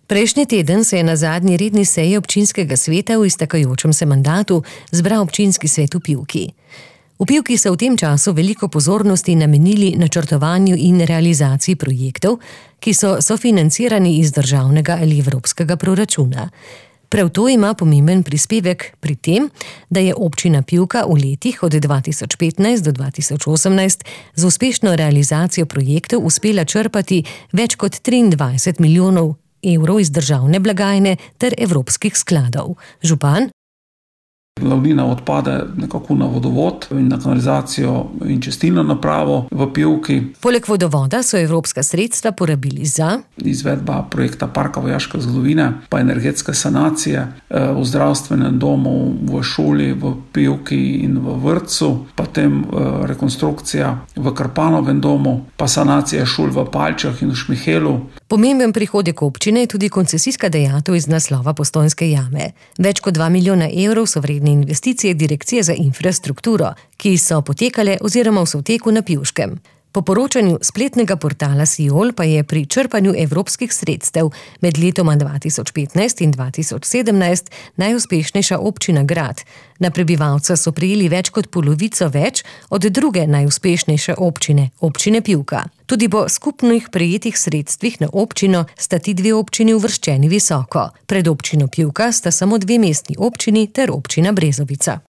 Prejšnji teden se je na zadnji redni seji občinskega sveta v iztekajočem se mandatu zbral občinski svet v Pivki. V Pivki so v tem času veliko pozornosti namenili načrtovanju in realizaciji projektov, ki so sofinancirani iz državnega ali evropskega proračuna. Prav to ima pomemben prispevek pri tem, da je občina Pivka v letih od 2015 do 2018 z uspešno realizacijo projektov uspela črpati več kot 23 milijonov evrov iz državne blagajne ter evropskih skladov. Župan? Glavnina odpade nekako na vodovod in na kanalizacijo in čistilno napravo v Pivki. Poleg vodovoda so evropska sredstva porabili za izvedba projekta Parka vojaške zgodovine, pa energetske sanacije v zdravstvenem domu, v šoli, v Pivki in v vrtcu, potem rekonstrukcija v Krpanovem domu, pa sanacija šol v Palčah in v Šmihelu. Pomemben prihodek občine je tudi koncesijska dajatev iz naslova Postojnske jame. Več kot 2 milijona evrov so vredne investicije Direkcije za infrastrukturo, ki so potekale oziroma v teku na Pivškem. Po poročanju spletnega portala Siol pa je pri črpanju evropskih sredstev med letoma 2015 in 2017 najuspešnejša občina Grad. Na prebivalca so prejeli več kot polovico več od druge najuspešnejše občine, občine Pivka. Tudi po skupnih prejetih sredstvih na občino sta ti dve občini uvrščeni visoko. Pred občino Pivka sta samo 2 mestni občini ter občina Brezovica.